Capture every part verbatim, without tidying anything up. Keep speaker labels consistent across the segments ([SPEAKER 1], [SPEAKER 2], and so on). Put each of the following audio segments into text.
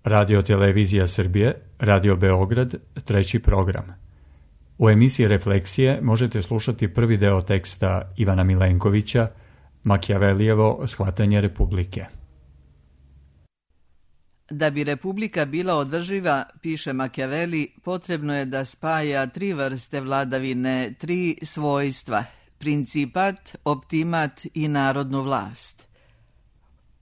[SPEAKER 1] Radio Televizija Srbije, Radio Beograd, treći program. U emisiji Refleksije možete slušati prvi deo teksta Ivana Milenkovića, Makijavelijevo shvatanje Republike.
[SPEAKER 2] Da bi Republika bila održiva, piše Makijaveli, potrebno je da spaja tri vrste vladavine, tri svojstva, principat, optimat i narodnu vlast.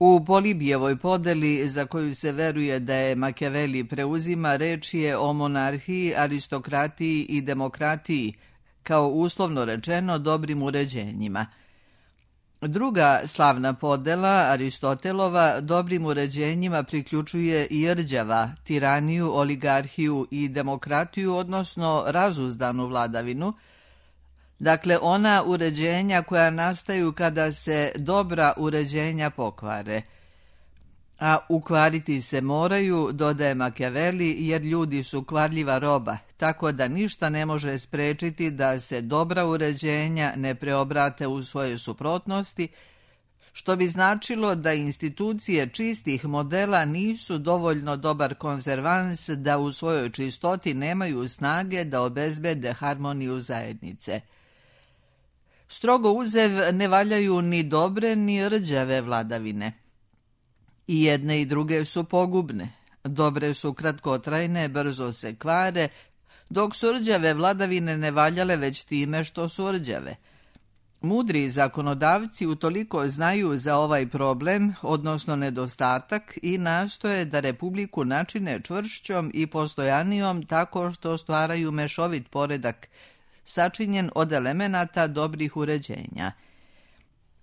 [SPEAKER 2] U Polibijevoj podeli, za koju se veruje da je Makijaveli preuzima, reč je o monarhiji, aristokratiji i demokratiji, kao uslovno rečeno dobrim uređenjima. Druga slavna podela, Aristotelova, dobrim uređenjima priključuje i rđava, tiraniju, oligarhiju i demokratiju, odnosno razuzdanu vladavinu, dakle ona uređenja koja nastaju kada se dobra uređenja pokvare. A ukvariti se moraju, dodaje Makijaveli, jer ljudi su kvarljiva roba, tako da ništa ne može sprečiti da se dobra uređenja ne preobrate u svoje suprotnosti, što bi značilo da institucije čistih modela nisu dovoljno dobar konzervans da u svojoj čistoti nemaju snage da obezbede harmoniju zajednice. Strogo uzev ne valjaju ni dobre ni rđave vladavine. I jedne i druge su pogubne. Dobre su kratkotrajne, brzo se kvare, dok su rđave vladavine ne valjale već time što su rđave. Mudri zakonodavci utoliko znaju za ovaj problem, odnosno nedostatak, i nastoje da Republiku načine čvršćom i postojanijom tako što stvaraju mešovit poredak, sačinjen od elemenata dobrih uređenja.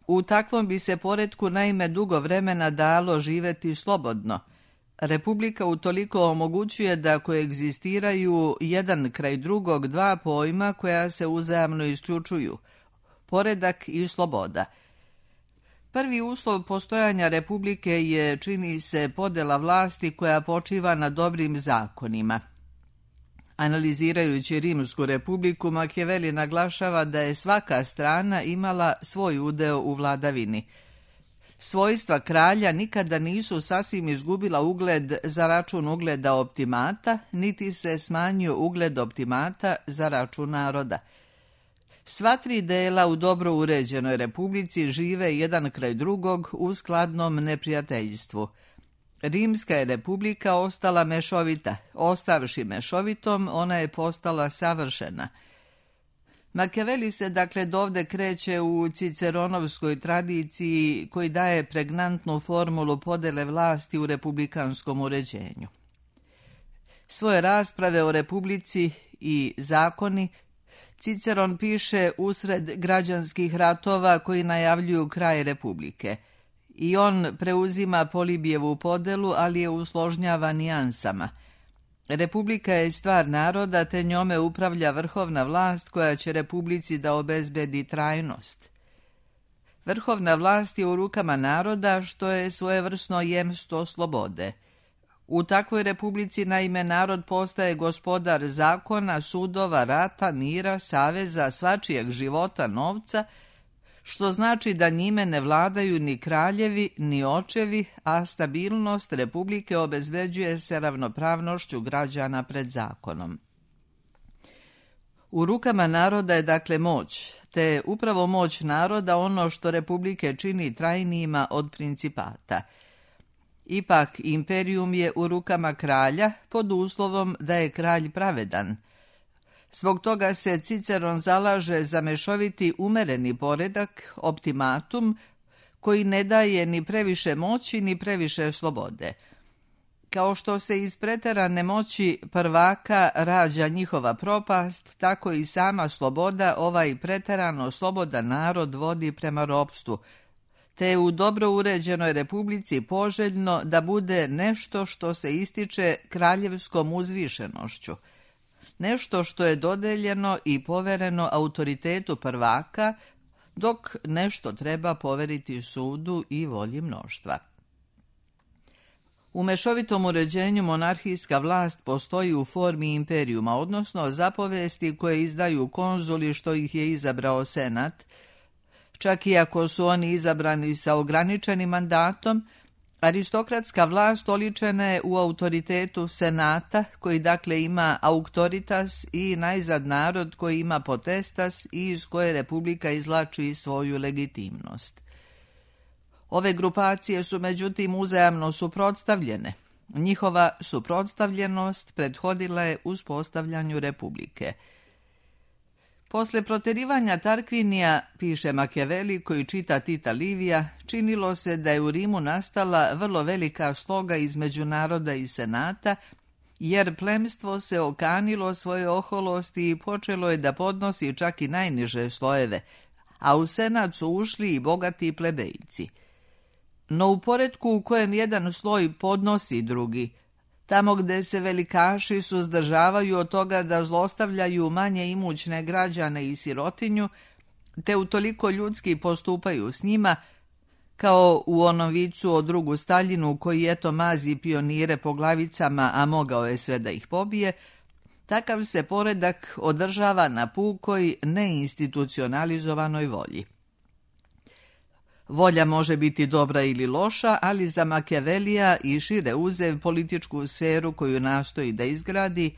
[SPEAKER 2] U takvom bi se poretku naime dugo vremena dalo živeti slobodno. Republika utoliko omogućuje da koegzistiraju jedan kraj drugog dva pojma koja se uzajamno isključuju, poredak i sloboda. Prvi uslov postojanja Republike je, čini se, podela vlasti koja počiva na dobrim zakonima. Analizirajući Rimsku republiku, Makijaveli naglašava da je svaka strana imala svoj udeo u vladavini. Svojstva kralja nikada nisu sasvim izgubila ugled za račun ugleda optimata, niti se smanjio ugled optimata za račun naroda. Sva tri dela u dobro uređenoj republici žive jedan kraj drugog u skladnom neprijateljstvu. Rimska je republika ostala mešovita. Ostavši mešovitom, ona je postala savršena. Makijaveli se dakle dovde kreće u ciceronovskoj tradiciji koji daje pregnantnu formulu podele vlasti u republikanskom uređenju. Svoje rasprave o republici i zakoni Ciceron piše usred građanskih ratova koji najavljuju kraj republike. I on preuzima Polibijevu podelu, ali je usložnjava nijansama. Republika je stvar naroda, te njome upravlja vrhovna vlast koja će republici da obezbedi trajnost. Vrhovna vlast je u rukama naroda, što je svojevrsno jemstvo slobode. U takvoj republici naime narod postaje gospodar zakona, sudova, rata, mira, saveza, svačijeg života, novca, što znači da njime ne vladaju ni kraljevi, ni očevi, a stabilnost republike obezbeđuje se ravnopravnošću građana pred zakonom. U rukama naroda je dakle moć, te je upravo moć naroda ono što republike čini trajnijima od principata. Ipak imperijum je u rukama kralja pod uslovom da je kralj pravedan. Zbog toga se Ciceron zalaže za mešoviti umereni poredak, optimatum, koji ne daje ni previše moći ni previše slobode. Kao što se iz preterane moći prvaka rađa njihova propast, tako i sama sloboda ovaj preterano slobodan narod vodi prema ropstvu, te je u dobro uređenoj republici poželjno da bude nešto što se ističe kraljevskom uzvišenošću, nešto što je dodeljeno i povereno autoritetu prvaka, dok nešto treba poveriti sudu i volji mnoštva. U mešovitom uređenju monarhijska vlast postoji u formi imperijuma, odnosno zapovesti koje izdaju konzuli što ih je izabrao senat, čak i ako su oni izabrani sa ograničenim mandatom, Aristokratska vlast oličena je u autoritetu senata, koji dakle ima auctoritas, i najzad narod koji ima potestas i iz koje republika izvlači svoju legitimnost. Ove grupacije su međutim uzajamno suprotstavljene. Njihova suprotstavljenost prethodila je uspostavljanju republike. Posle proterivanja Tarquinija, piše Machiavelli koji čita Tita Livija, činilo se da je u Rimu nastala vrlo velika sloga između naroda i senata, jer plemstvo se okanilo svoje oholosti i počelo je da podnosi čak i najniže slojeve, a u senat su ušli i bogati plebejci. No u poretku u kojem jedan sloj podnosi drugi, tamo gde se velikaši suzdržavaju od toga da zlostavljaju manje imućne građane i sirotinju, te utoliko ljudski postupaju s njima, kao u onom vicu o drugu Staljinu koji eto mazi pionire po glavicama, a mogao je sve da ih pobije, takav se poredak održava na pukoj neinstitucionalizovanoj volji. Volja može biti dobra ili loša, ali za Machiavellija i šire uzev političku sferu koju nastoji da izgradi,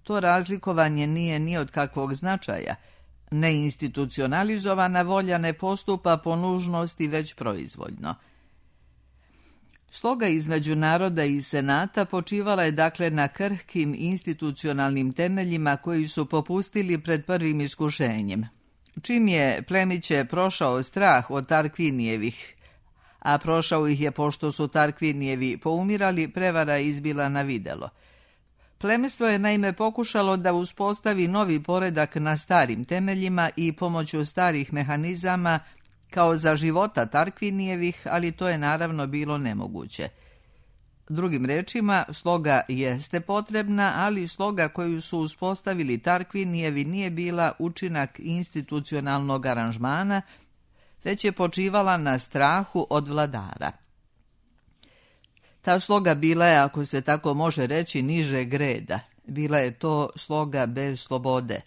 [SPEAKER 2] to razlikovanje nije ni od kakvog značaja. Neinstitucionalizovana volja ne postupa po nužnosti već proizvoljno. Sloga između naroda i senata počivala je dakle na krhkim institucionalnim temeljima koji su popustili pred prvim iskušenjem. Čim je plemiće prošao strah od Tarquinijevih, a prošao ih je pošto su Tarquinijevi poumirali, prevara je izbila na videlo. Plemstvo je naime pokušalo da uspostavi novi poredak na starim temeljima i pomoću starih mehanizama kao za života Tarquinijevih, ali to je naravno bilo nemoguće. Drugim rečima, sloga jeste potrebna, ali sloga koju su uspostavili Tarquinijevi nije bila učinak institucionalnog aranžmana, već je počivala na strahu od vladara. Ta sloga bila je, ako se tako može reći, nižeg reda. Bila je to sloga bez slobode.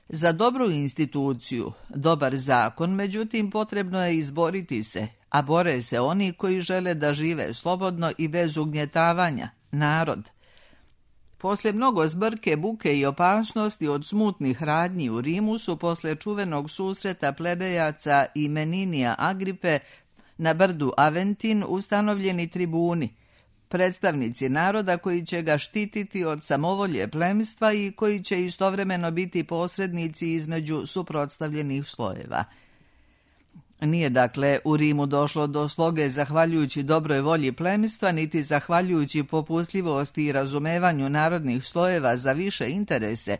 [SPEAKER 2] Za dobru instituciju, dobar zakon, međutim, potrebno je izboriti se, a bore se oni koji žele da žive slobodno i bez ugnjetavanja, narod. Posle mnogo zbrke, buke i opasnosti od smutnih radnji u Rimu su posle čuvenog susreta plebejaca i Meninija Agripe na brdu Aventin ustanovljeni tribuni, predstavnici naroda koji će ga štititi od samovolje plemstva i koji će istovremeno biti posrednici između suprotstavljenih slojeva. Nije dakle u Rimu došlo do sloge zahvaljujući dobroj volji plemstva, niti zahvaljujući popustljivosti i razumevanju narodnih slojeva za više interese,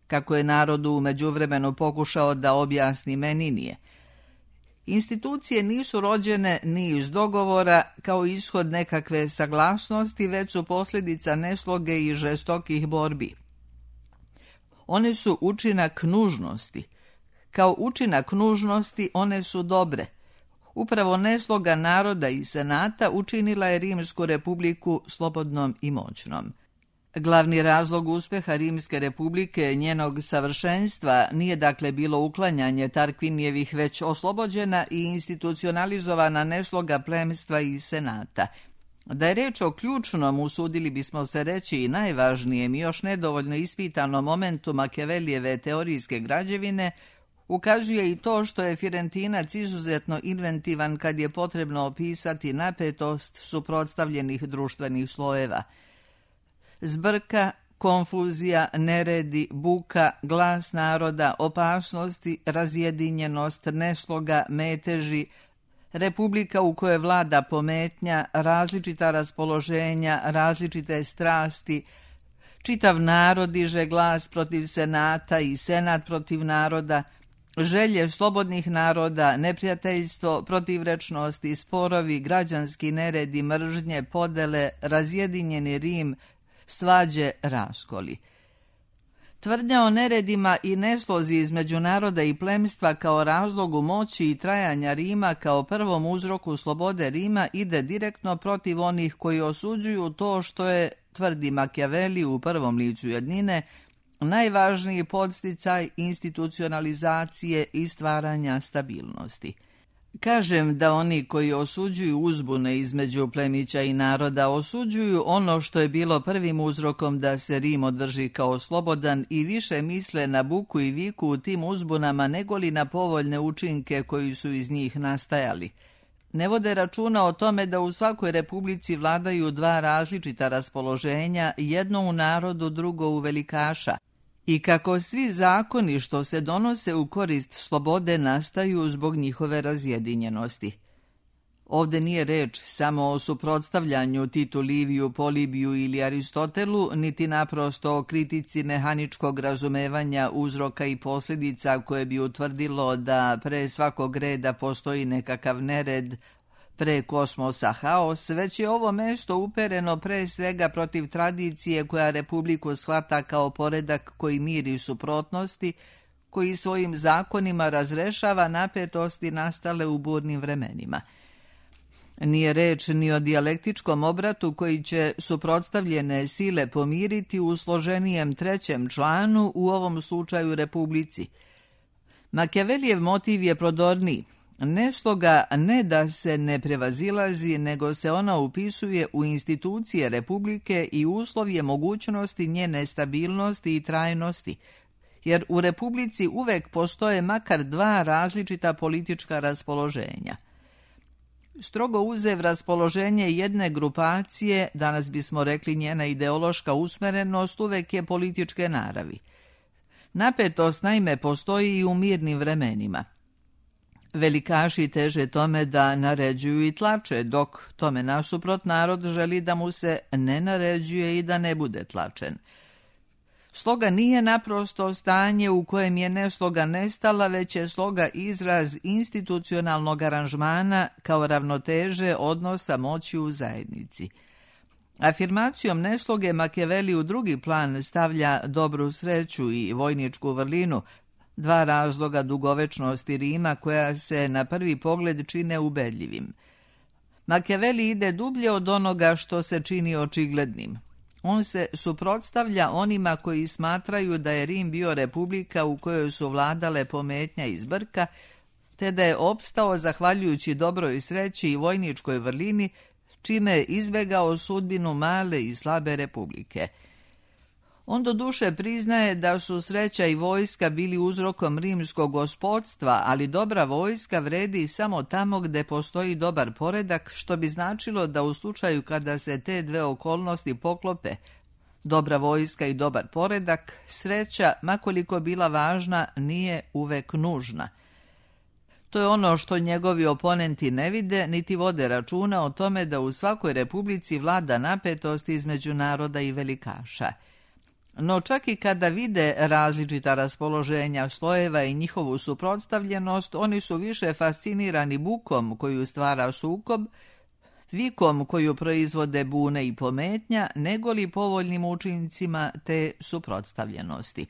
[SPEAKER 2] kako je narodu u međuvremenu pokušao da objasni Meninije. Institucije nisu rođene ni iz dogovora kao ishod nekakve saglasnosti, već su posljedica nesloge i žestokih borbi. One su učinak nužnosti. Kao učinak nužnosti one su dobre. Upravo nesloga naroda i senata učinila je Rimsku republiku slobodnom i moćnom. Glavni razlog uspjeha Rimske republike, njenog savršenstva, nije dakle bilo uklanjanje Tarquinijevih, već oslobođena i institucionalizovana nesloga plemstva i senata. Da je reč o ključnom, usudili bismo se reći i najvažnijem i još nedovoljno ispitanom momentu Machiavellijeve teorijske građevine, ukazuje i to što je Firentinac izuzetno inventivan kad je potrebno opisati napetost suprotstavljenih društvenih slojeva. Zbrka, konfuzija, neredi, buka, glas naroda, opasnosti, razjedinjenost, nesloga, meteži, republika u kojoj vlada pometnja, različita raspoloženja, različite strasti, čitav narod diže glas protiv senata i senat protiv naroda, želje slobodnih naroda, neprijateljstvo, protivrečnosti, sporovi, građanski neredi, mržnje, podele, razjedinjeni Rim, svađe, raskoli. Tvrdnja o neredima i neslozi između naroda i plemstva kao razlogu moći i trajanja Rima kao prvom uzroku slobode Rima ide direktno protiv onih koji osuđuju to što je, tvrdi Machiavelli u prvom licu jednine, najvažniji podsticaj institucionalizacije i stvaranja stabilnosti. Kažem da oni koji osuđuju uzbune između plemića i naroda osuđuju ono što je bilo prvim uzrokom da se Rim održi kao slobodan i više misle na buku i viku u tim uzbunama negoli na povoljne učinke koji su iz njih nastajali. Ne vode računa o tome da u svakoj republici vladaju dva različita raspoloženja, jedno u narodu, drugo u velikaša, i kako svi zakoni što se donose u korist slobode nastaju zbog njihove razjedinjenosti. Ovde nije reč samo o suprotstavljanju Titu Liviju, Polibiju ili Aristotelu, niti naprosto o kritici mehaničkog razumevanja uzroka i posljedica koje bi utvrdilo da pre svakog reda postoji nekakav nered, pre kosmosa haos, već je ovo mesto upereno pre svega protiv tradicije koja republiku shvata kao poredak koji miri suprotnosti, koji svojim zakonima razrešava napetosti nastale u burnim vremenima. Nije reč ni o dijalektičkom obratu koji će suprotstavljene sile pomiriti u složenijem trećem članu, u ovom slučaju republici. Makijavelijev motiv je prodorniji. Nesloga ne da se ne prevazilazi, nego se ona upisuje u institucije republike i uslovje mogućnosti njene stabilnosti i trajnosti, jer u republici uvek postoje makar dva različita politička raspoloženja. Strogo uzev raspoloženje jedne grupacije, danas bismo rekli njena ideološka usmerenost, uvek je političke naravi. Napetost naime postoji i u mirnim vremenima. Velikaši teže tome da naređuju i tlače, dok tome nasuprot narod želi da mu se ne naređuje i da ne bude tlačen. Sloga nije naprosto stanje u kojem je nesloga nestala, već je sloga izraz institucionalnog aranžmana kao ravnoteže odnosa moći u zajednici. Afirmacijom nesloge Makijaveli u drugi plan stavlja dobru sreću i vojničku vrlinu, dva razloga dugovečnosti Rima koja se na prvi pogled čine ubedljivim. Makijaveli ide dublje od onoga što se čini očiglednim. On se suprotstavlja onima koji smatraju da je Rim bio republika u kojoj su vladale pometnja i zbrka, te da je opstao zahvaljujući dobroj sreći i vojničkoj vrlini, čime je izbegao sudbinu male i slabe republike. On do duše priznaje da su sreća i vojska bili uzrokom rimskog gospodstva, ali dobra vojska vredi samo tamo gde postoji dobar poredak, što bi značilo da u slučaju kada se te dve okolnosti poklope, dobra vojska i dobar poredak, sreća, makoliko bila važna, nije uvek nužna. To je ono što njegovi oponenti ne vide, niti vode računa o tome da u svakoj republici vlada napetost između naroda i velikaša. No čak i kada vide različita raspoloženja slojeva i njihovu suprotstavljenost, oni su više fascinirani bukom koju stvara sukob, vikom koju proizvode bune i pometnja, nego li povoljnim učincima te suprotstavljenosti.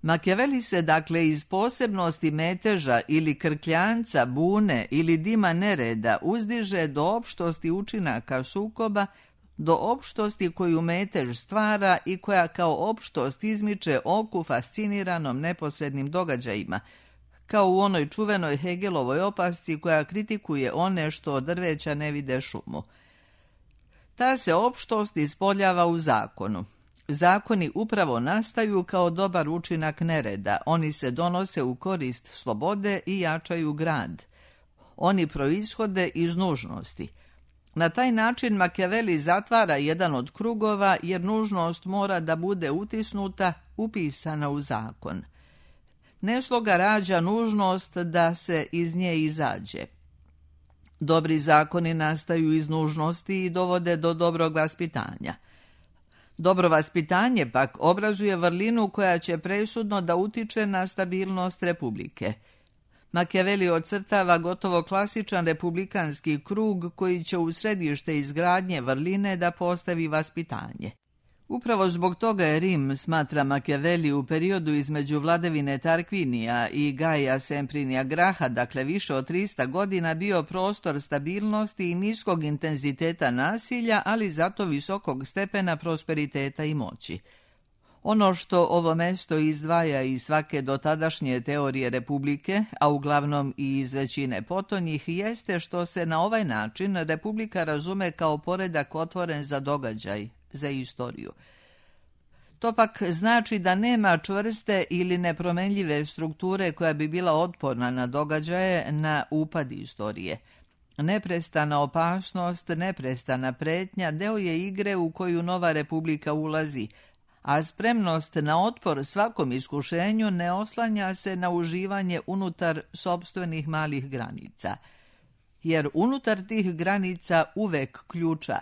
[SPEAKER 2] Makijaveli se dakle iz posebnosti meteža ili krkljanca, bune ili dima nereda uzdiže do opštosti učinaka sukoba, do opštosti koju metež stvara i koja kao opštost izmiče oku fasciniranom neposrednim događajima, kao u onoj čuvenoj Hegelovoj opasci koja kritikuje one što od drveća ne vide šumu. Ta se opštost ispoljava u zakonu. Zakoni upravo nastaju kao dobar učinak nereda, oni se donose u korist slobode i jačaju grad. Oni proishode iz nužnosti. Na taj način Makijaveli zatvara jedan od krugova jer nužnost mora da bude utisnuta, upisana u zakon. Nesloga rađa nužnost da se iz nje izađe. Dobri zakoni nastaju iz nužnosti i dovode do dobrog vaspitanja. Dobro vaspitanje pak obrazuje vrlinu koja će presudno da utiče na stabilnost republike. Makijaveli ocrtava gotovo klasičan republikanski krug koji će u središte izgradnje vrline da postavi vaspitanje. Upravo zbog toga je Rim, smatra Makijaveli, u periodu između vladavine Tarkvinija i Gaja Semprinija Graha, dakle više od trista godina, bio prostor stabilnosti i niskog intenziteta nasilja, ali zato visokog stepena prosperiteta i moći. Ono što ovo mesto izdvaja iz svake dotadašnje teorije republike, a uglavnom i iz većine potonjih, jeste što se na ovaj način republika razume kao poredak otvoren za događaj, za istoriju. To pak znači da nema čvrste ili nepromenljive strukture koja bi bila otporna na događaje, na upad istorije. Neprestana opasnost, neprestana pretnja deo je igre u koju nova republika ulazi, a spremnost na otpor svakom iskušenju ne oslanja se na uživanje unutar sopstvenih malih granica. Jer unutar tih granica uvek ključa.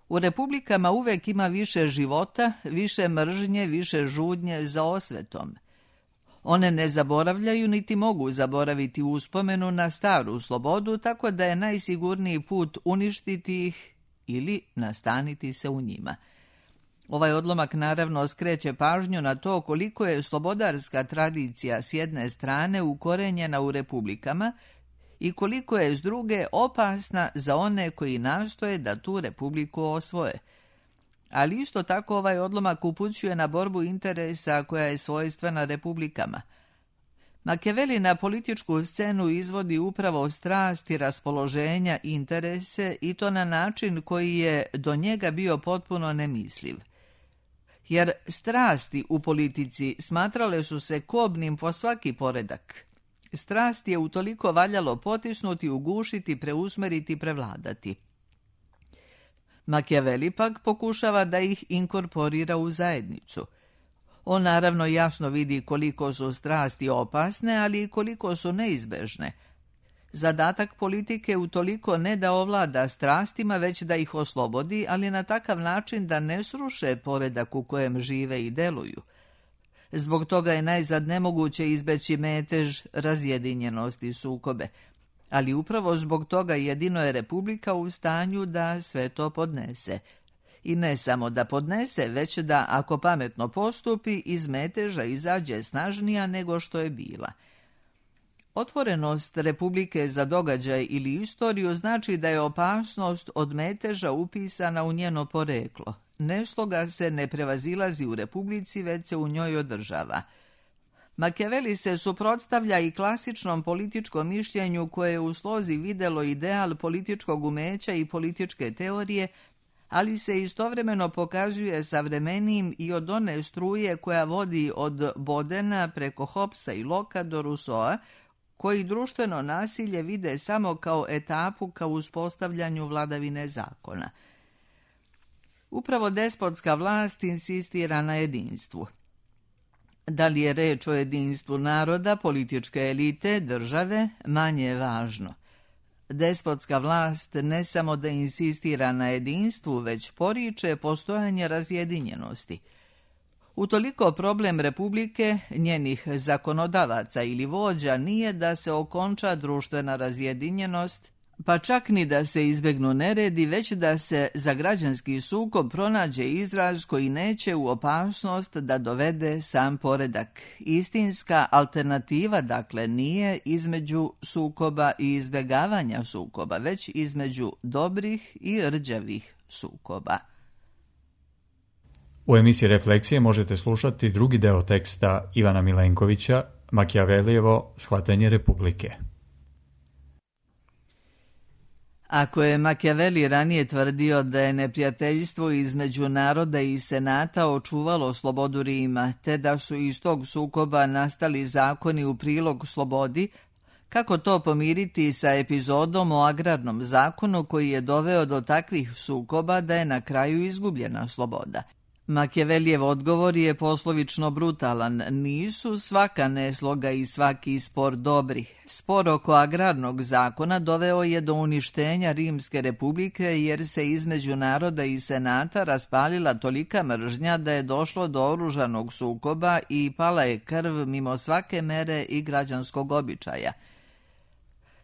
[SPEAKER 2] U republikama uvek ima više života, više mržnje, više žudnje za osvetom. One ne zaboravljaju niti mogu zaboraviti uspomenu na staru slobodu, tako da je najsigurniji put uništiti ih ili nastaniti se u njima. Ovaj odlomak naravno skreće pažnju na to koliko je slobodarska tradicija s jedne strane ukorenjena u republikama i koliko je s druge opasna za one koji nastoje da tu republiku osvoje. Ali isto tako ovaj odlomak upućuje na borbu interesa koja je svojstvena republikama. Makijaveli na političku scenu izvodi upravo strasti, raspoloženja, interese i to na način koji je do njega bio potpuno nemisliv. Jer strasti u politici smatrale su se kobnim po svaki poredak. Strast je utoliko valjalo potisnuti, ugušiti, preusmeriti, prevladati. Makijaveli pak pokušava da ih inkorporira u zajednicu. On naravno jasno vidi koliko su strasti opasne, ali i koliko su neizbežne. Zadatak politike utoliko ne da ovlada strastima, već da ih oslobodi, ali na takav način da ne sruše poredak u kojem žive i deluju. Zbog toga je najzad nemoguće izbeći metež, razjedinjenost i sukobe. Ali upravo zbog toga jedino je republika u stanju da sve to podnese. I ne samo da podnese, već da, ako pametno postupi, iz meteža izađe snažnija nego što je bila. Otvorenost republike za događaj ili istoriju znači da je opasnost od meteža upisana u njeno poreklo. Nesloga se ne prevazilazi u republici, već se u njoj održava. Makijaveli se suprotstavlja i klasičnom političkom mišljenju koje je u slozi videlo ideal političkog umeća i političke teorije, ali se istovremeno pokazuje savremenijim i od one struje koja vodi od Bodena preko Hobbesa i Locka do Rousseaua, koji društveno nasilje vide samo kao etapu ka uspostavljanju vladavine zakona. Upravo despotska vlast insistira na jedinstvu. Da li je reč o jedinstvu naroda, političke elite, države, manje je važno. Despotska vlast ne samo da insistira na jedinstvu, već poriče postojanje razjedinjenosti. Utoliko problem republike, njenih zakonodavaca ili vođa nije da se okonča društvena razjedinjenost, pa čak ni da se izbegnu neredi, već da se za građanski sukob pronađe izraz koji neće u opasnost da dovede sam poredak. Istinska alternativa, dakle, nije između sukoba i izbjegavanja sukoba, već između dobrih i rđavih sukoba.
[SPEAKER 1] U emisiji Refleksije možete slušati drugi deo teksta Ivana Milenkovića, Makijavelijevo shvatanje republike.
[SPEAKER 2] Ako je Makijaveli ranije tvrdio da je neprijateljstvo između naroda i senata očuvalo slobodu Rima, te da su iz tog sukoba nastali zakoni u prilog slobodi, kako to pomiriti sa epizodom o agrarnom zakonu koji je doveo do takvih sukoba da je na kraju izgubljena sloboda? Makijavelijev odgovor je poslovično brutalan. Nisu svaka nesloga i svaki spor dobri. Spor oko agrarnog zakona doveo je do uništenja Rimske republike jer se između naroda i senata raspalila tolika mržnja da je došlo do oružanog sukoba i pala je krv mimo svake mere i građanskog običaja.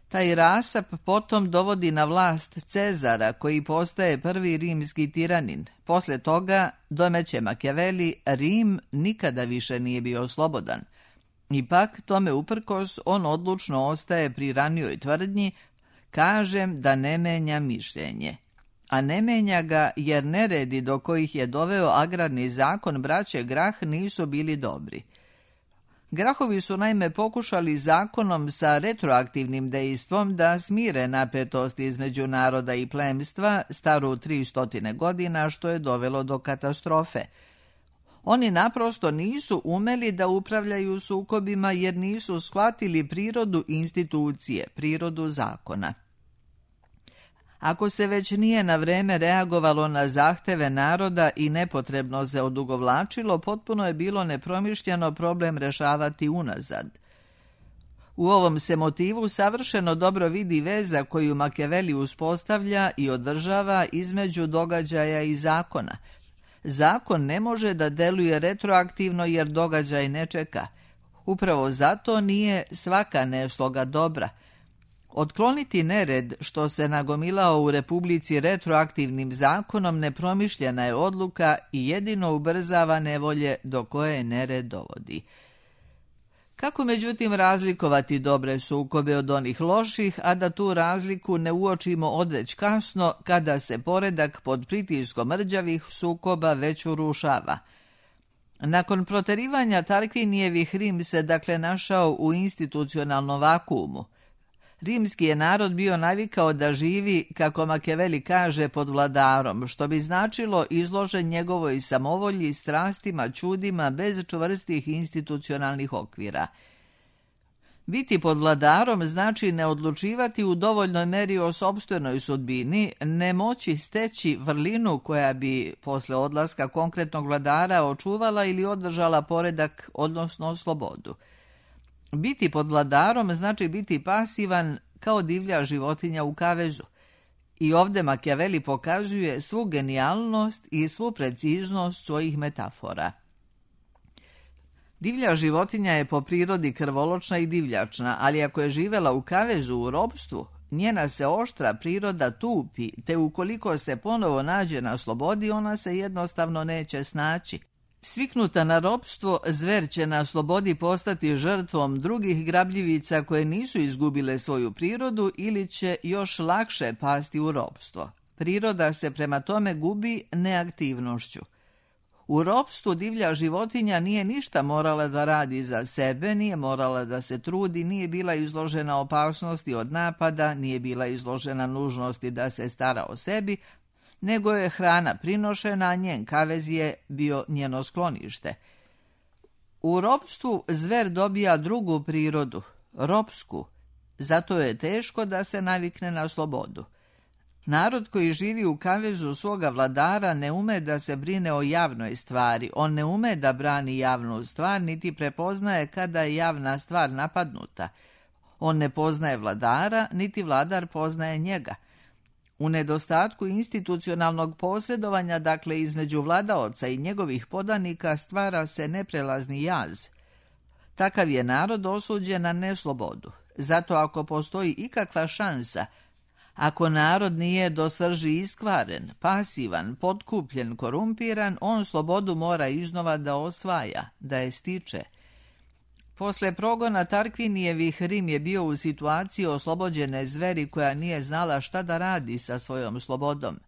[SPEAKER 2] Taj rasap potom dovodi na vlast Cezara, koji postaje prvi rimski tiranin. Posle toga, domeće Makijaveli, Rim nikada više nije bio slobodan. Ipak, tome uprkos, on odlučno ostaje pri ranijoj tvrdnji, kažem da ne menja mišljenje. a ne menja ga jer neredi do kojih je doveo agrarni zakon braće Grah nisu bili dobri. Grahovi su naime pokušali zakonom sa retroaktivnim dejstvom da smire napetost između naroda i plemstva staru tri stotine godina, što je dovelo do katastrofe. Oni naprosto nisu umeli da upravljaju sukobima jer nisu shvatili prirodu institucije, prirodu zakona. Ako se već nije na vreme reagovalo na zahteve naroda i nepotrebno se odugovlačilo, potpuno je bilo nepromišljeno problem rešavati unazad. U ovom se motivu savršeno dobro vidi veza koju Makijaveli uspostavlja i održava između događaja i zakona. Zakon ne može da deluje retroaktivno jer događaj ne čeka. Upravo zato nije svaka nesloga dobra. Otkloniti nered što se nagomilao u Republici retroaktivnim zakonom nepromišljena je odluka i jedino ubrzava nevolje do koje nered dovodi. Kako međutim razlikovati dobre sukobe od onih loših, a da tu razliku ne uočimo odveć kasno kada se poredak pod pritiskom rđavih sukoba već urušava? Nakon proterivanja Tarkvinijevih Rim se dakle našao u institucionalnom vakuumu. Rimski je narod bio navikao da živi, kako Makijaveli kaže, pod vladarom, što bi značilo izložen njegovoj samovolji, strastima, čudima, bez čvrstih institucionalnih okvira. Biti pod vladarom znači ne odlučivati u dovoljnoj meri o sopstvenoj sudbini, ne moći steći vrlinu koja bi posle odlaska konkretnog vladara očuvala ili održala poredak, odnosno slobodu. Biti pod vladarom znači biti pasivan kao divlja životinja u kavezu. I ovdje Makijaveli pokazuje svu genijalnost i svu preciznost svojih metafora. Divlja životinja je po prirodi krvoločna i divljačna, ali ako je živela u kavezu u ropstvu, njena se oštra priroda tupi, te ukoliko se ponovo nađe na slobodi, ona se jednostavno neće snaći. Sviknuta na ropstvo, zver će na slobodi postati žrtvom drugih grabljivica koje nisu izgubile svoju prirodu ili će još lakše pasti u ropstvo. Priroda se prema tome gubi neaktivnošću. U ropstvu divlja životinja nije ništa morala da radi za sebe, nije morala da se trudi, nije bila izložena opasnosti od napada, nije bila izložena nužnosti da se stara o sebi, nego je hrana prinošena, a njen kavez je bio njeno sklonište. U ropstvu zver dobija drugu prirodu, ropsku, zato je teško da se navikne na slobodu. Narod koji živi u kavezu svoga vladara ne ume da se brine o javnoj stvari, on ne ume da brani javnu stvar, niti prepoznaje kada je javna stvar napadnuta. On ne poznaje vladara, niti vladar poznaje njega. U nedostatku institucionalnog posredovanja, dakle između vladaoca i njegovih podanika, stvara se neprelazni jaz. Takav je narod osuđen na neslobodu. Zato ako postoji ikakva šansa, ako narod nije do srži iskvaren, pasivan, potkupljen, korumpiran, on slobodu mora iznova da osvaja, da je stiče. Posle progona Tarkvinijevih Rim je bio u situaciji oslobođene zveri koja nije znala šta da radi sa svojom slobodom.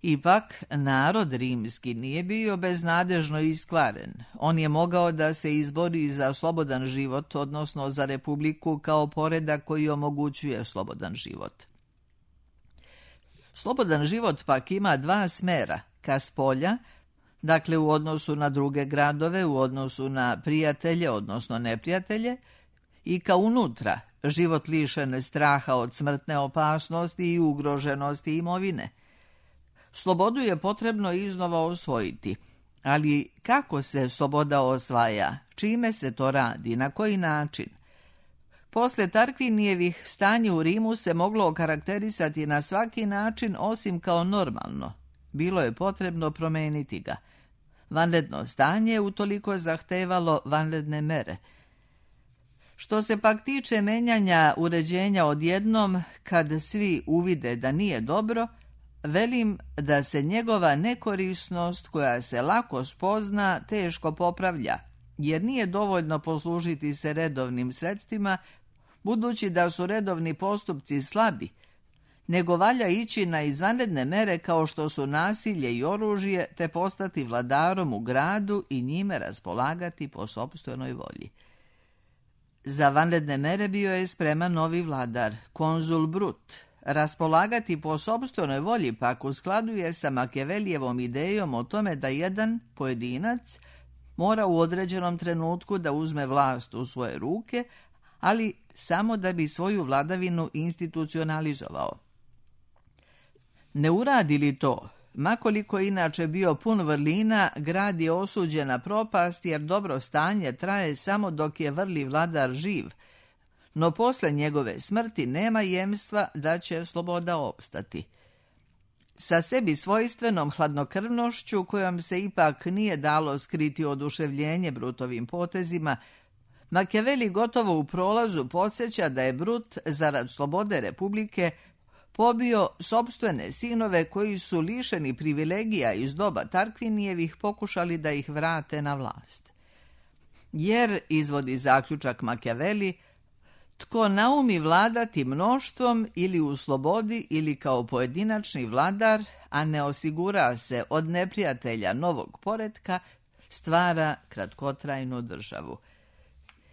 [SPEAKER 2] Ipak, narod rimski nije bio beznadežno iskvaren. On je mogao da se izbori za slobodan život, odnosno za republiku kao poredak koji omogućuje slobodan život. Slobodan život pak ima dva smera, ka spolja, dakle u odnosu na druge gradove, u odnosu na prijatelje, odnosno neprijatelje, i ka unutra, život lišen straha od smrtne opasnosti i ugroženosti imovine. Slobodu je potrebno iznova osvojiti, ali kako se sloboda osvaja, čime se to radi, na koji način? Posle Tarkvinijevih stanje u Rimu se moglo okarakterisati na svaki način osim kao normalno. Bilo je potrebno promeniti ga. Vanredno stanje utoliko zahtevalo vanredne mere. Što se pak tiče menjanja uređenja odjednom, kad svi uvide da nije dobro, velim da se njegova nekorisnost koja se lako spozna teško popravlja, jer nije dovoljno poslužiti se redovnim sredstvima, budući da su redovni postupci slabi. nego valja ići na izvanredne mere kao što su nasilje i oružje, te postati vladarom u gradu i njime raspolagati po sopstvenoj volji. Za vanredne mere bio je spreman novi vladar, konzul Brut. Raspolagati po sopstvenoj volji pak u skladu je sa Makijavelijevom idejom o tome da jedan pojedinac mora u određenom trenutku da uzme vlast u svoje ruke, ali samo da bi svoju vladavinu institucionalizovao. Ne uradi li to, makoliko inače bio pun vrlina, grad je osuđen na propast jer dobro stanje traje samo dok je vrli vladar živ, no posle njegove smrti nema jemstva da će sloboda opstati. Sa sebi svojstvenom hladnokrvnošću, kojom se ipak nije dalo skriti oduševljenje Brutovim potezima, Makijaveli gotovo u prolazu podsjeća da je Brut, zarad slobode republike, pobio sopstvene sinove koji su lišeni privilegija iz doba Tarkvinijevih pokušali da ih vrate na vlast. Jer, izvodi zaključak Makijaveli, tko naumi vladati mnoštvom ili u slobodi ili kao pojedinačni vladar, a ne osigura se od neprijatelja novog poretka, stvara kratkotrajnu državu.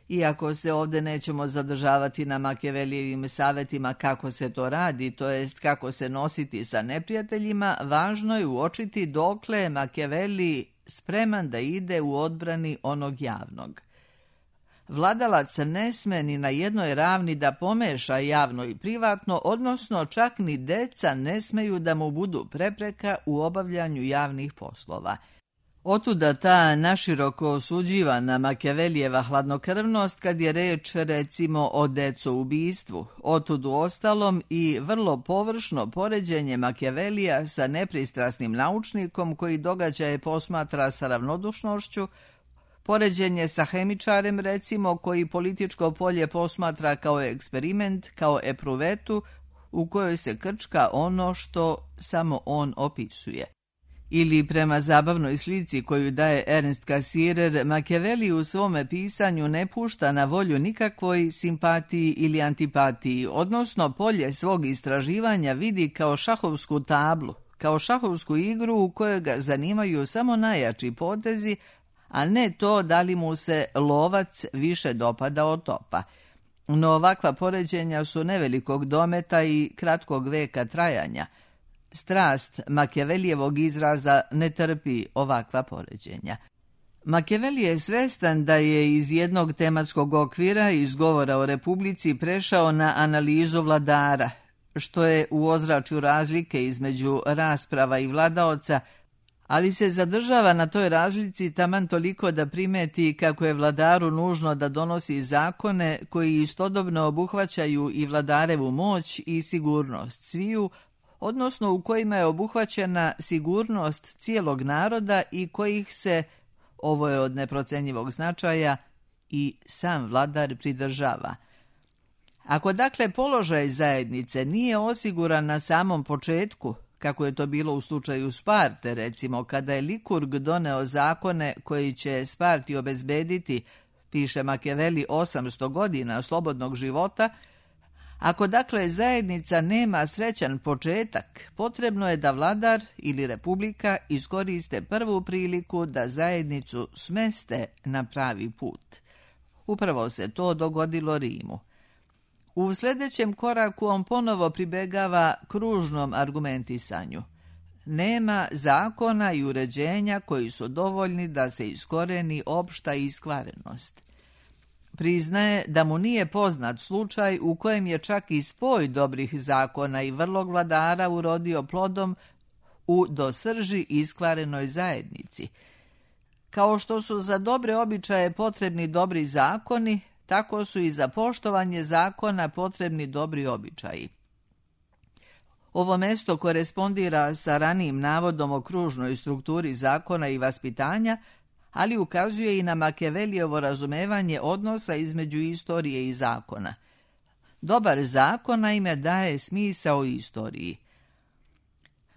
[SPEAKER 2] Iako se ovdje nećemo zadržavati na Makijavelijevim savjetima kako se to radi, to jest kako se nositi sa neprijateljima, važno je uočiti dokle je Makijaveli spreman da ide u odbrani onog javnog. Vladalac ne sme ni na jednoj ravni da pomeša javno i privatno, odnosno čak ni deca ne smeju da mu budu prepreka u obavljanju javnih poslova. Otuda ta naširoko osuđivana Makijavelijeva hladnokrvnost kad je reč recimo o decoubistvu, otud u ostalom i vrlo površno poređenje Makijavelija sa nepristrasnim naučnikom koji događaje posmatra sa ravnodušnošću, poređenje sa hemičarem recimo koji političko polje posmatra kao eksperiment, kao epruvetu u kojoj se krčka ono što samo on opisuje. Ili prema zabavnoj slici koju daje Ernst Cassirer, Makijaveli u svome pisanju ne pušta na volju nikakvoj simpatiji ili antipatiji, odnosno polje svog istraživanja vidi kao šahovsku tablu, kao šahovsku igru u kojoj ga zanimaju samo najjači potezi, a ne to da li mu se lovac više dopada od topa. No ovakva poređenja su nevelikog dometa i kratkog veka trajanja. Strast Makijavelijevog izraza ne trpi ovakva poređenja. Makijaveli je svestan da je iz jednog tematskog okvira iz govora o Republici prešao na analizu vladara, što je u ozračju razlike između rasprava i vladaoca, ali se zadržava na toj razlici taman toliko da primeti kako je vladaru nužno da donosi zakone koji istodobno obuhvaćaju i vladarevu moć i sigurnost sviju, odnosno u kojima je obuhvaćena sigurnost cijelog naroda i kojih se, ovo je od neprocenjivog značaja, i sam vladar pridržava. Ako dakle položaj zajednice nije osiguran na samom početku, kako je to bilo u slučaju Sparte, recimo, kada je Likurg doneo zakone koji će Sparti obezbediti, piše Makijaveli, osamsto godina slobodnog života, ako dakle zajednica nema srećan početak, potrebno je da vladar ili republika iskoriste prvu priliku da zajednicu smeste na pravi put. Upravo se to dogodilo Rimu. U sljedećem koraku on ponovo pribegava kružnom argumentisanju. Nema zakona i uređenja koji su dovoljni da se iskoreni opšta iskvarenost. Priznaje da mu nije poznat slučaj u kojem je čak i spoj dobrih zakona i vrlog vladara urodio plodom u do srži iskvarenoj zajednici. Kao što su za dobre običaje potrebni dobri zakoni, tako su i za poštovanje zakona potrebni dobri običaji. Ovo mesto korespondira sa ranijim navodom o kružnoj strukturi zakona i vaspitanja, ali ukazuje i na Makijavelijevo razumevanje odnosa između istorije i zakona. Dobar zakon naime daje smisao istoriji.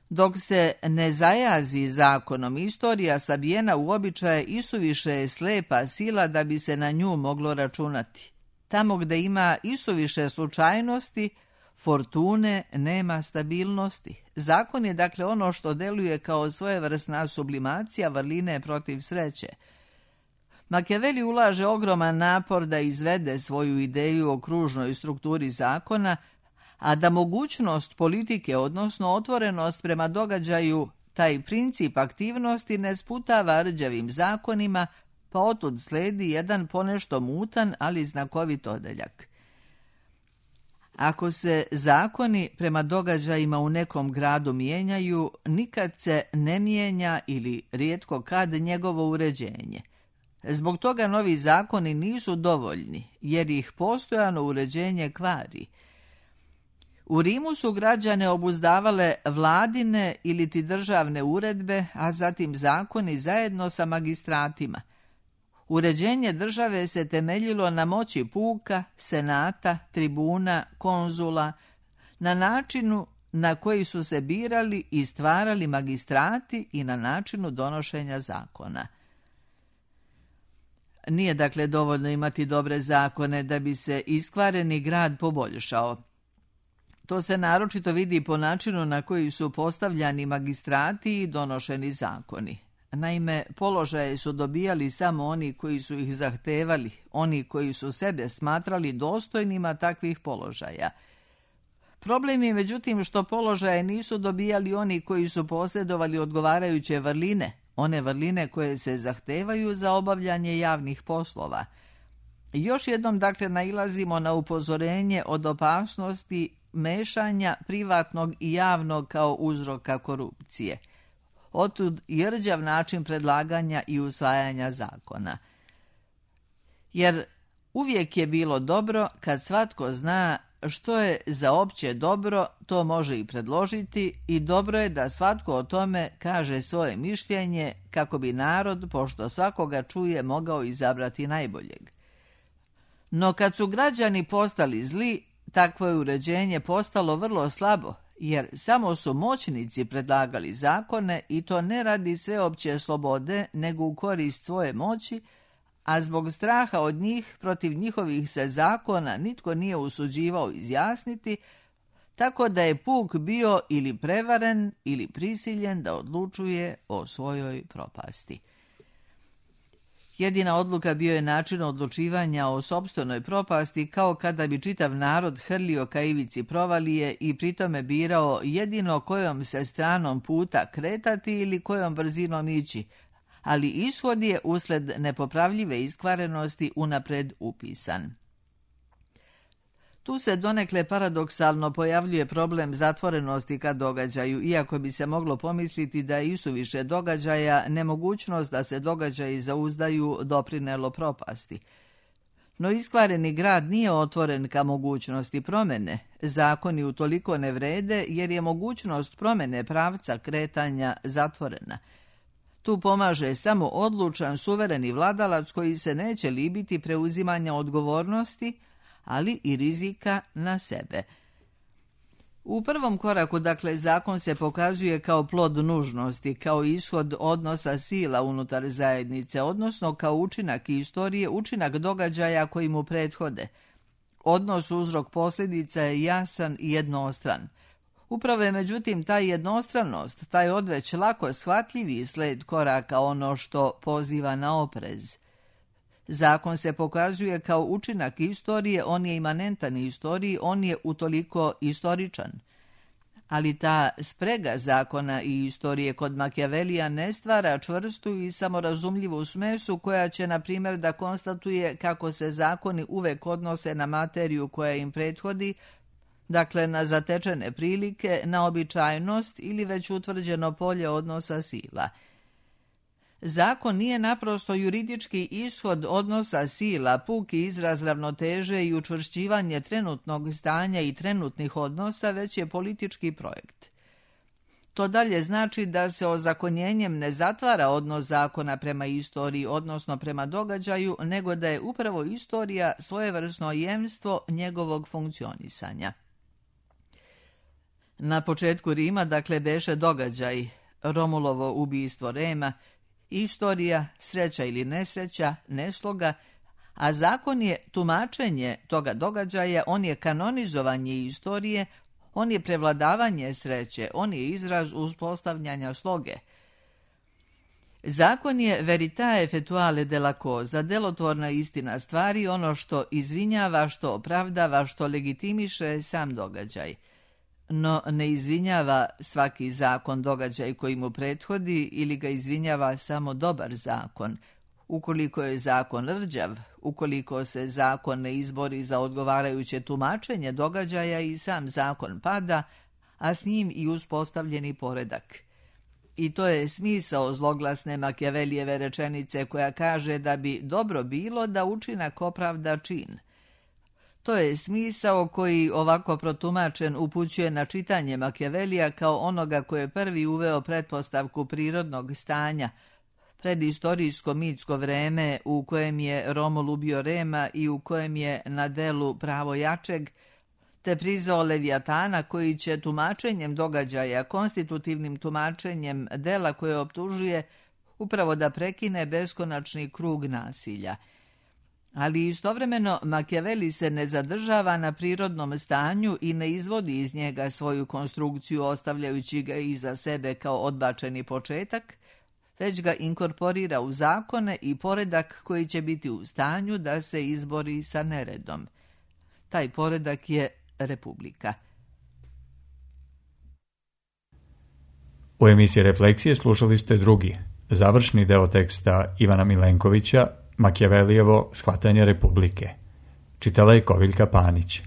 [SPEAKER 2] Dok se ne zajazi zakonom, istorija sabijena u običaje isuviše je slepa sila da bi se na nju moglo računati. Tamo gde ima isuviše slučajnosti, fortune nema stabilnosti. Zakon je dakle ono što deluje kao svojevrsna sublimacija vrline protiv sreće. Machiavelli ulaže ogroman napor da izvede svoju ideju o kružnoj strukturi zakona, a da mogućnost politike, odnosno otvorenost prema događaju, taj princip aktivnosti ne sputava rđavim zakonima, pa otud sledi jedan ponešto mutan, ali znakovit odeljak. Ako se zakoni prema događajima u nekom gradu mijenjaju, nikad se ne mijenja ili rijetko kad njegovo uređenje. Zbog toga novi zakoni nisu dovoljni, jer ih postojano uređenje kvari. U Rimu su građane obuzdavale vladine ili ti državne uredbe, a zatim zakoni zajedno sa magistratima. Uređenje države se temeljilo na moći puka, senata, tribuna, konzula, na načinu na koji su se birali i stvarali magistrati i na načinu donošenja zakona. Nije dakle dovoljno imati dobre zakone da bi se iskvareni grad poboljšao. To se naročito vidi po načinu na koji su postavljani magistrati i donošeni zakoni. Naime, položaje su dobijali samo oni koji su ih zahtevali, oni koji su sebe smatrali dostojnima takvih položaja. Problem je međutim što položaje nisu dobijali oni koji su posjedovali odgovarajuće vrline, one vrline koje se zahtevaju za obavljanje javnih poslova. Još jednom dakle nailazimo na upozorenje od opasnosti mešanja privatnog i javnog kao uzroka korupcije. Otud i rđav način predlaganja i usvajanja zakona. Jer uvijek je bilo dobro kad svatko zna što je za opće dobro, to može i predložiti, i dobro je da svatko o tome kaže svoje mišljenje kako bi narod, pošto svakoga čuje, mogao izabrati najboljeg. No kad su građani postali zli, takvo je uređenje postalo vrlo slabo, jer samo su moćnici predlagali zakone i to ne radi sveopće slobode, nego u korist svoje moći, a zbog straha od njih protiv njihovih se zakona nitko nije usuđivao izjasniti, tako da je puk bio ili prevaren ili prisiljen da odlučuje o svojoj propasti. Jedina odluka bio je način odlučivanja o sopstvenoj propasti, kao kada bi čitav narod hrlio ka ivici provalije i pritome birao jedino kojom se stranom puta kretati ili kojom brzinom ići, ali ishod je usled nepopravljive iskvarenosti unapred upisan. Tu se donekle paradoksalno pojavljuje problem zatvorenosti ka događaju, iako bi se moglo pomisliti da je isuviše događaja nemogućnost da se događaji zauzdaju doprinelo propasti. No iskvareni grad nije otvoren ka mogućnosti promjene. Zakoni utoliko ne vrede jer je mogućnost promjene pravca kretanja zatvorena. Tu pomaže samo odlučan suvereni vladalac koji se neće libiti preuzimanja odgovornosti, ali i rizika na sebe. U prvom koraku, dakle, zakon se pokazuje kao plod nužnosti, kao ishod odnosa sila unutar zajednice, odnosno kao učinak istorije, učinak događaja koji mu prethode. Odnos uzrok posljedica je jasan i jednostran. Upravo je međutim ta jednostranost, taj odveć lako shvatljivi sled koraka ono što poziva na oprez. Zakon se pokazuje kao učinak istorije, on je imanentan istoriji, on je utoliko istoričan. Ali ta sprega zakona i istorije kod Machiavellija ne stvara čvrstu i samorazumljivu smesu koja će, na primjer, da konstatuje kako se zakoni uvek odnose na materiju koja im prethodi, dakle na zatečene prilike, na običajnost ili već utvrđeno polje odnosa sila. Zakon nije naprosto juridički ishod odnosa sila, puki izraz ravnoteže i učvršćivanje trenutnog stanja i trenutnih odnosa, već je politički projekt. To dalje znači da se ozakonjenjem ne zatvara odnos zakona prema istoriji, odnosno prema događaju, nego da je upravo istorija svojevrsno jemstvo njegovog funkcionisanja. Na početku Rima, dakle, beše događaj, Romulovo ubistvo Rema, istorija, sreća ili nesreća, nesloga, a zakon je tumačenje toga događaja, on je kanonizovanje istorije, on je prevladavanje sreće, on je izraz uspostavljanja sloge. Zakon je veritae effettuale della cosa, delotvorna istina stvari, ono što izvinjava, što opravdava, što legitimiše sam događaj. No ne izvinjava svaki zakon događaj koji mu prethodi ili ga izvinjava samo dobar zakon. Ukoliko je zakon rđav, ukoliko se zakon ne izbori za odgovarajuće tumačenje događaja i sam zakon pada, a s njim i uspostavljeni poredak. I to je smisao zloglasne Makijavelijeve rečenice koja kaže da bi dobro bilo da učinak opravda čin. To je smisao koji, ovako protumačen, upućuje na čitanje Makijavelija kao onoga koji je prvi uveo pretpostavku prirodnog stanja, predistorijsko mitsko vreme u kojem je Romul ubio Rema i u kojem je na delu pravo jačeg, te prizvao Levijatana koji će tumačenjem događaja, konstitutivnim tumačenjem dela koje optužuje, upravo da prekine beskonačni krug nasilja. Ali istovremeno Makijaveli se ne zadržava na prirodnom stanju i ne izvodi iz njega svoju konstrukciju ostavljajući ga iza sebe kao odbačeni početak, već ga inkorporira u zakone i poredak koji će biti u stanju da se izbori sa neredom. Taj poredak je Republika.
[SPEAKER 1] U emisiji Refleksije slušali ste drugi, završni deo teksta Ivana Milenkovića, Makijavelijevo shvatanje Republike. Čitala je Koviljka Panić.